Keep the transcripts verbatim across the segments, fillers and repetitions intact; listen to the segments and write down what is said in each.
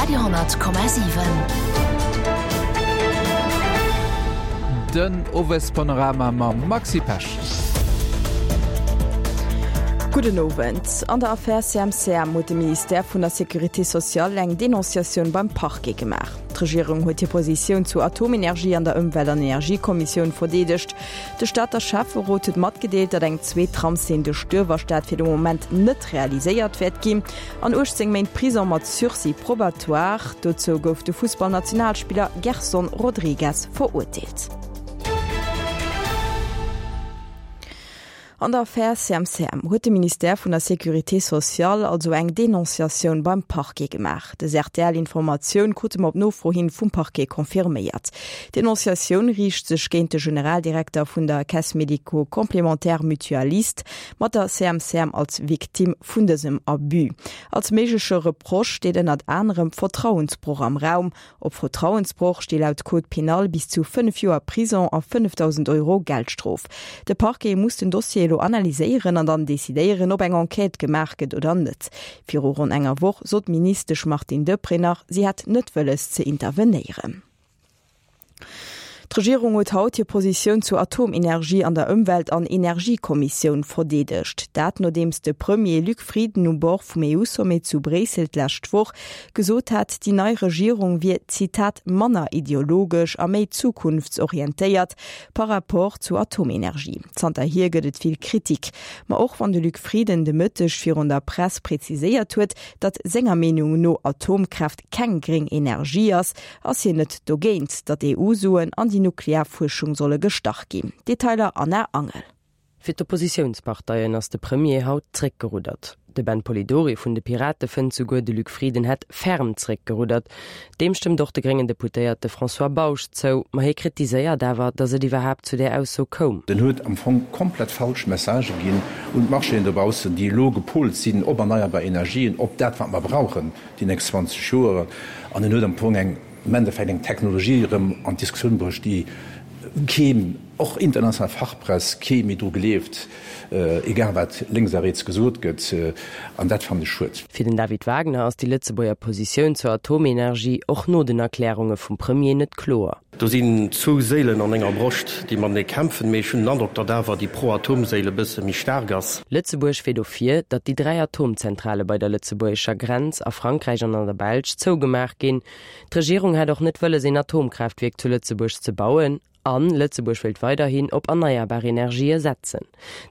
Radio honnert Komma siwen. Den Owespanorama mam Maxi Pesch. Gudden Owend. An der Affär C M C M huet de Ministère vun der Sécurité sociale eng Denonciatioun beim Parquet gemaach. D'Regierung huet hir Positioun zu Atomenergie an der Ëmwelt an Energiekommissioun verdeedegt. De Stater Schäfferot huet matgedeelt, datt eng zweet Tramslinn duerch d'Uewerstad fir de Moment net realiséiert wäert ginn. An uechtzéng Méint Prison mat Sursis probatoire, dozou gouf de Fussballnationalspiller Gerson Rodrigues verurteelt. An der Affär C M C M huet de Ministère vun der Sécurité sociale also eng Denonciatioun beim Parquet gemaach. Des R T L-Informatioun krute mer op Nofro hin vum Parquet confirméiert. D'Denonciatioun riicht sech géint de Generaldirekter vun der Caisse médico-complémentaire mutualiste, mat der C M C M als Victime vun dësem Abus. Als méigleche Reproche steet ënnert anerem Vertrauensbroch am Raum. Op Vertrauensbroch sti laut Code pénal bis zu fënnef Joer Prison a fënnefdausend Euro Geldstrof. De Parquet muss den Dossier elo analyséieren an dann decidéieren, ob eng Enquête gemaach gëtt oder net. Viru ronn enger Woch sot d'Ministesch Martine Deprez nach, si hätt net wëlles ze intervenéieren. D'Regierung huet haut hir Positioun zur Atomenergie an der Ëmwelt an Energiekommissioun verdeedegt. Dat nodeems de Premier Luc Frieden um Bord vum E U-Sommet zu Bréissel d'lescht Woch gesot hat, déi nei Regierung wier, Zitat, manner ideologesch a méi zukunftsorientéiert par rapport zur Atomenergie. Zanterhier gëtt et vill Kritik. Ma och wann de Luc Frieden de Mëtteg virun der Press präziséiert huet, datt senger Meenung no Atomkraaft keng gréng Energie ass, ass hien net dogéint, datt E U-Suen an déi Nuklearfuerschung solle gestach ginn. Detailer Anna Angel. Fir d'Oppositiounsparteien ass de Premier haut zréckgeruddert. De Ben Polidori vun de Pirate fënnt souguer, de Luc Frieden hätt ferm zréckgeruddert. Deem stëmmt och de gréngen Deputéierte François Bausch zou, ma hie kritiséiert awer, datt et iwwerhaapt zu där Ausso koum. Den huet am Fong komplett falsch Messagë ginn un d'Marchéen dobaussen, déi elo gepolt sinn op erneierbar Energien, op dat wat mer brauchen déi nächst zwanzeg Joer, an en huet am Fong eng am Endeffekt eng Technologie erëm an d'Diskussioun bruecht, déi keen, och international Fachpress, kee méi dru gleeft, egal wat lénks a riets gesot gëtt, an dat fannen ech schued. Fir den David Wagner ass déi Lëtzebuerger Positioun zur Atomenergie och no den Erklärunge vum Premier net kloer. Do sinn zwou Séilen an enger Broscht, déi matenee kämpfen, mee ech hunn den Androck, datt awer déi Pro-Atom-Séil e bësse méi staark ass. Lëtzebuerg wier dofir, datt déi dräi Atomzentrale bei der lëtzebuergescher Grenz a Frankräich an an der Belsch zougemaach ginn. D'Regierung hätt och net wëlles, een Atomkraaftwierk zu Lëtzebuerg ze bauen. An Lëtzebuerg wëllt weiderhin op erneierbar Energië setzen.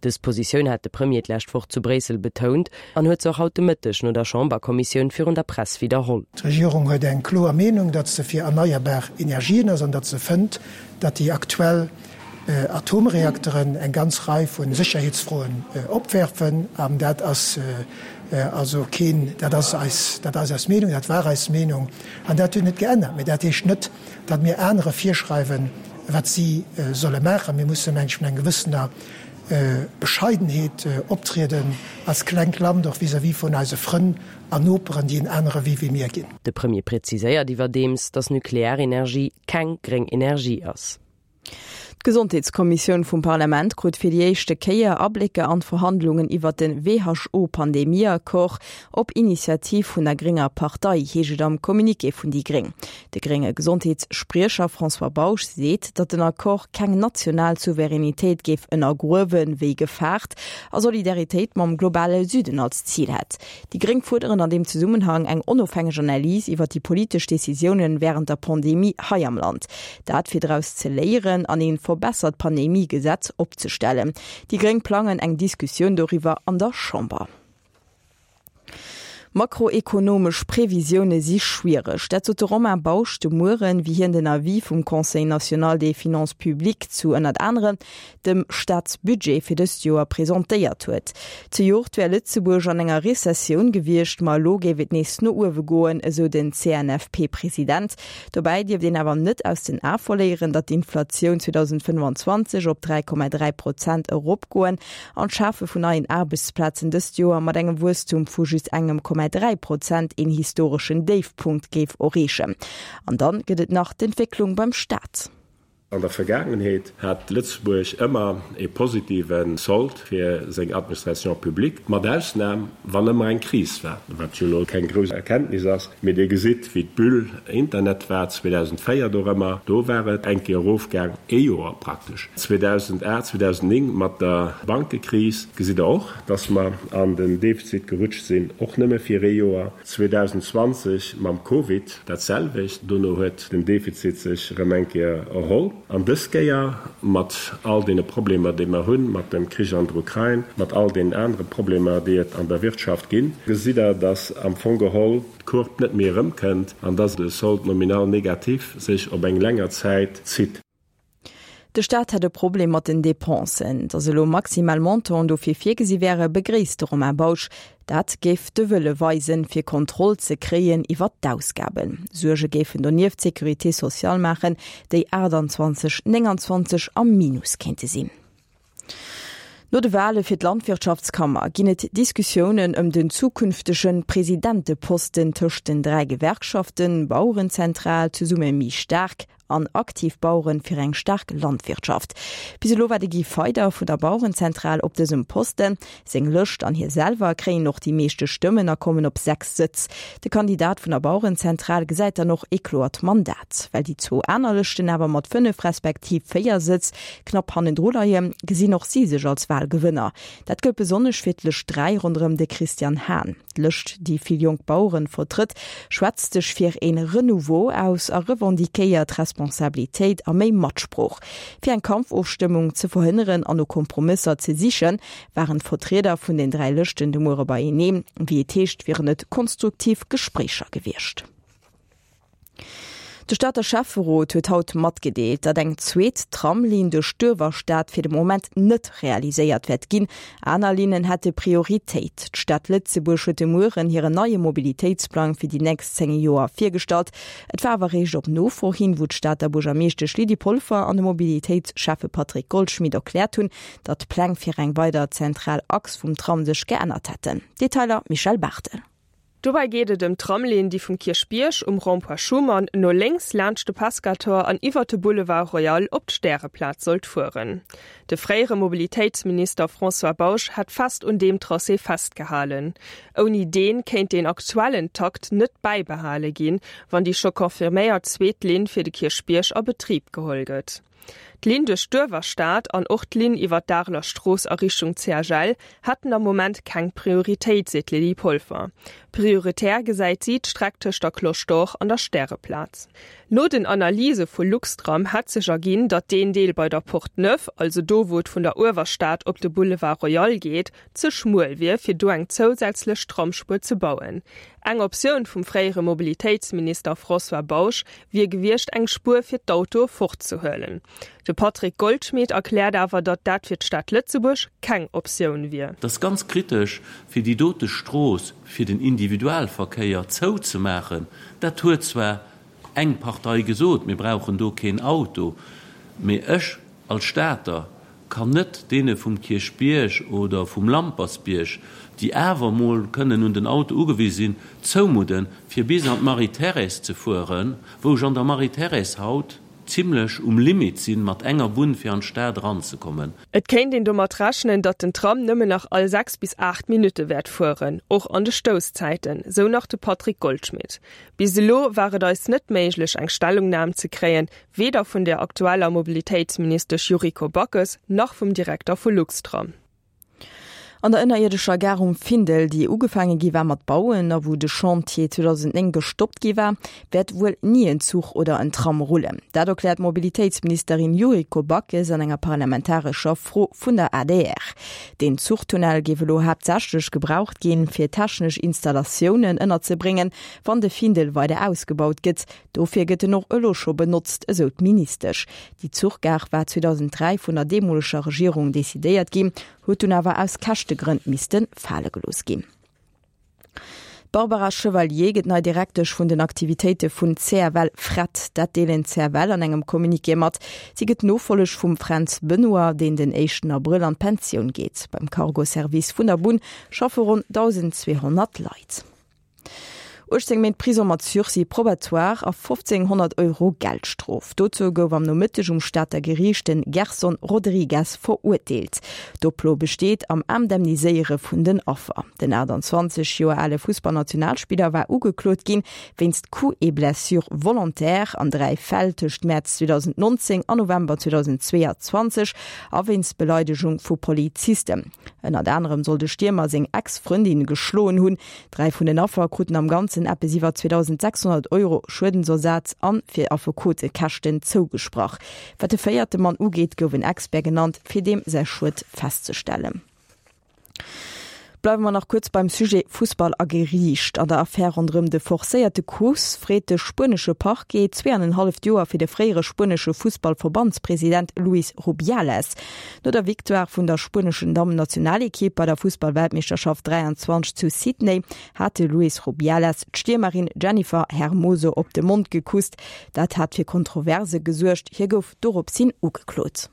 Dës Positioun hat de Premier d'lescht Woch zu Bréissel betount an huet se och haut de Mëtteg no der Chamberkommissioun virun der Press widderholl. D'Regierung huet eng kloer Meenung, datt se fir erneierbar Energien ass an datt se fënnt, datt déi aktuell Atomreakteren eng ganz Rei vu Sécherheetsfroen opwerfen. An dat ass also keen, dat ass eis, dat ass eis Meenung, dat war eis Meenung an dat huet net geännert. Mee dat heescht net, datt mir anere virschreiwen, wat si solle maachen. Mir mussen, meng ech, mat enger gewëssener Bescheidenheet optrieden als klengt Land, och vis-à-vis vun eise Frënn an Noperen, déi en anere Wee wéi mir ginn. De Premier präziséiert iwwerdeems, datt Nuklearenergie keng gréng Energie ass. D'Gesondheetskommissioun vum Parlament krut fir déi éischte Kéier Ablécker an d'Verhandlungen iwwer den W H O-Pandemie-Accord op Initiativ vun der grénger Partei, heescht et am Communiqué vun déi Gréng. De grénge Gesondheetsspriecher François Bausch seet, datt den Accord keng national Souveränitéit géif ënnergruewen, wéi gefaart, a Solidaritéit mam globale Süden als Zil hätt. Déi Gréng fuerderen an deem Zesummenhang eng onofhängeg Analys iwwer déi politesch Decisiounen wärend der Pandemie hei am Land. Dat fir draus ze léieren an een verbessert Pandemiegesetz opzestellen. Déi Gréng plangen eng Diskussioun doriwwer an der Chamber. Makroekonomesch Previsioune si schwiereg. Dat sot de Romain Bausch de Mueren, wéi hien den Avis vum Conseil national des finances publiques zu ënnert anerem dem Staatsbudget fir dëst Joer presentéiert huet. Zejoert wär Lëtzebuerg an enger Rezessioun gewiescht, ma elo géif et nees no uewe goen, esou den C N F P-President. Dobäi dierft een awer net aus den Ae verléieren, datt d'Inflatioun zweedausendfënnefanzwanzeg op dräi Komma dräi Prozent eropgoen an d'Schafe vun neien Aarbechtsplazen dëst Joer mat engem Wuesstum vu just engem dräi Prozent een historeschen Déifpunkt géif erreechen. An dann gëtt et nach d'Entwécklung beim Staat. An der Vergaangenheet hat Lëtzebuerg ëmmer e positive Sold fir seng Administration publique, mat Ausnam wann ëmmer eng Kris war, wat jo elo keng grouss Erkenntnis ass. Mee Dir gesitt, wéi d'Bulle Internet war zweedausendvéier dorëmmer, do war et eng Kéier erofgaang, ee Joer praktesch. zweedausendacht, zweedausendnéng mat der Bankekris gesitt Der och, dass mer an den Defizit gerutscht sinn, och nëmme fir ee Joer. zweedausendzwanzeg mam Covid dat selwecht, dono huet den Defizit sech erëm eng Kéier erholl. An dës Kéier, mat all deene Problemer, déi mer hunn, mat dem Krich an der Ukrain, mat all deenen anere Problemer, déi et an der Wirtschaft ginn, gesitt Der, dass am Fong geholl d'Courbe net méi erëmkënnt an dass de Solde nominal négatif sech op eng länger Zäit zitt. De Staat hätt e Problem mat den Depensen. Datt elo maximal Montanten dofir virgesi wäre, begréisst de Romain Bausch. Dat géif de Wëlle weisen, fir Kontroll ze kréien iwwer d'Ausgaben. Suerge géifen donieft d'Sécurité sociale maachen, déi achttanzwanzeg nénganzwanzeg am Minus kéinte sinn. No de Wale fir d'Landwirtschaftskammer ginn et Diskussiounen ëm den zukünftege Presidenteposten tëscht den dräi Gewerkschaften Bauerenzentral, Zesumme méi staark an Aktiv Baueren fir eng staark Landwirtschaft. Bis elo war de Guy Feyder vun der Bauerenzentral op dësem Posten. Seng Lëscht an hie selwer kréien och déi meeschte Stëmmen a kommen op sechs Sëtz. De Kandidat vun der Bauerenzentral gesäit dann och ee kloert Mandat. Well déi zwou aner Lëschten awer mat fënnef respektiv véier Sëtz knapp hannendru leien, gesinn och si sech als Walgewënner. Dat gëllt besonnesch fir d'Lëscht dräi ronderëm de Christian Hahn. D'Lëscht, déi vill jonk Baueren vertrëtt, schwätzt sech fir een Renouveau aus a revendiquéiert Responsabilitéit a méi Matsprooch. Fir eng Kampfofstëmmung ze verhënneren an no Kompromësser ze sichen, waren d'Vertrieder vun den dräi Lëschten de Muere beieneen. Wéi et heescht, wieren et konstruktiv Gespréicher gewiescht. De Stater Schäfferot huet haut matgedeelt, datt eng zweet Tramlinn duerch d'Uewerstad fir de Moment net realiséiert wäert ginn. Aner Linnen hätte Prioritéit. D'Stad Lëtzebuerg huet de Mueren hiren neie Mobilitéitsplang fir déi nächst zéng Joer virgestallt. Et war awer eréischt op Nofro hin, wou d'Stater Buergermeeschtesch Lydie Polfer an de Mobilitéitsschäffe Patrick Goldschmidt erkläert hunn, datt d'Pläng fir eng weider zentral Achs vum Tram sech geännert hätten. Detailer Michèle Barthel. Dobäi geet et ëm d'Tramlinn, déi vum Kierchbierg um Rond-point Schuman no lénks laanscht de Pescator an iwwer de Boulevard Royal op d'Stäreplaz sollt fueren. De fréiere Mobilitéitsminister François Bausch hat fest un deem Tracé festgehalen. Ouni deen kéint den aktuellen Takt net bäibehale ginn, wann déi scho confirméiert zweet Linn fir de Kierchbierg a Betrib geholl gëtt. D'Linn duerch d'Uewerstad an och d'Linn iwwer d'Areler Strooss a Richtung C H L hätten am Moment keng Prioritéit, seet d'Lydie Polfer. Prioritär gesäit si d'Streck tëscht der Cloche d'Or an der Stäreplaz. No den Analyse vu Luxtram hätt sech erginn, datt deen Deel bei der Porte Neuve, also do wou et vun der Uewerstad op de Boulevard Royal geet, ze schmuel wier, fir do eng zousätzlech Tramsspuer ze bauen. Eng Optioun vum fréiere Mobilitéitsminister François Bausch wier gewiescht, eng Spuer fir d'Autoe fortzehuelen. De Patrick Goldschmidt erkläert awer, datt dat fir d'Stad Lëtzebuerg keng Optioun wier. Et ass ganz kritesch, fir déi dote Strooss fir den Individualverkéier zouzemaachen. Dat huet zwar eng Partei gesot, mir brauchen do keen Auto, mee ech als Stater kann net deene vum Kierchbierg oder vum Lampersbierg, déi awer emol kënnen un den Auto ugewise sinn, zoumudden, fir bis an d'Marie-Thérèse ze fueren, wou ech an der Marie-Thérèse haut zimlech um Limit sinn, mat enger Bunn fir an d'Stad eranzekommen. Et kéint een domat rechnen, datt den Tram nëmmen nach all sechs bis aacht Minutte wäert fueren, och an de Stousszäiten, sou nach de Patrick Goldschmidt. Bis elo war et eis net méiglech eng Stellungnam ze kréien, weder vun der aktueller Mobilitéitsministesch Yuriko Backes nach vum Direkter vu Luxtram. An der ënnerierdescher Gare um Findel, déi ugefaange gi war mat bauen a wou de Chantier zweedausendzéng gestoppt gi war, wäert wuel ni en Zuch oder en Tram rullen. Dat erkläert d'Mobilitéitsministerin Yuriko Backes an enger parlamentarescher Fro vun der A D R. Den Zuchtunnel géif elo haaptsächlech gebraucht ginn, fir technesch Installatiounen ënnerzebréngen, wann de Findel weider ausgebaut gëtt. Dofir gëtt en och elo scho benotzt, esou d'Ministesch. Déi Zuchgare war zweedausenddräi vun der deemoleger Regierung decidéiert ginn, huet dunn awer aus Käschtegrënn misste fale gelooss ginn. D'Barbara Chevalier gëtt nei Direktesch vun den Aktivitéite vun C F L Fret. Dat deelen d'C F L an engem Communiqué mat. Si gëtt d'Nofolleg vum Fränz Benoy, deen den éischten Abrëll an d'Pensioun geet. Beim Cargo-Service vun der Bunn schaffe ronn dausendzweehonnert Leit. Uechtzéng Méint Prisong mat Sursis probatoire a fofzénghonnert Euro Geldstrof. Dozou gouf am Nomëtteg um Stater Geriicht de Gerson Rodrigues verurteelt. D'Oplo besteet am Indemniséiere vun den Affer. Den achttanzwanzeg Joer ale Fussballnationalspiller war ugeklot ginn wéinst Coups et blessures volontaires an dräi Fäll tëscht Mäerz zweedausendnonzéng an November zweedausendzweeanzwanzeg a wéinst Beleidegung vu Polizisten. Ënnert anerem soll de Stiermer seng Ex-Frëndin geschloen hunn. Dräi vun den Affer kruten am Ganzen eppes iwwer zweedausendsechshonnert Euro Schuedensersaz an fir Affekotekäschten zougesprach. Wat de véierte Mann ugeet, gouf en Expert genannt, fir deem säi Schued festzestellen. Bleiwe mer nach kuerz beim Sujet Fussball a Geriicht. An der Affär ronderëm de forcéierte Kuss freet de spuenesche Parquet zwee an en halleft Joer fir de fréiere spuenesche Fussballverbandspresident Luis Rubiales. No der Victoire vun der spueneschen Dammennationalekipp bei der Fussballweltmeeschterschaft dräianzwanzeg zu Sydney hat de Luis Rubiales d'Stiermerin Jennifer Hermoso op de Mond gekusst. Dat hat fir Kontroverse gesuergt, hie gouf doropshin ugeklot.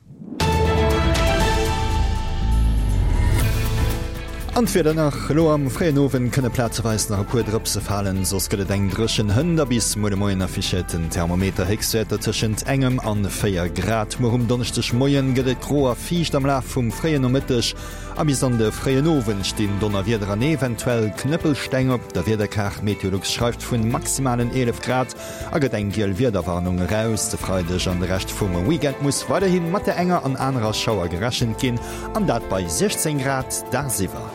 An d'Wieder nach, Elo am fréien Owend kënne plazeweis nach e puer Drëpse falen, soss gëtt et eng dréchen Hënt a bis muer de Moien affichéiert den Thermometer Héchstwäerter tëschent engem an véier Grad. Muer um Donneschdegmoien gëtt et gro a fiicht, am Laf vum fréien Nomëtteg a bis an de fréien Owend stinn Donnerwieder an eventuell Knëppelsteng op der Wiederkaart. Meteolux schreift vun maximalen eelef Grad a gëtt eng giel Wiederwarnung eraus. De Freideg an de Rescht vum Weekend muss weiderhi mat der enger an anerer Schauer gerechent ginn, an dat bei siechzéng Grad dagsiwwer.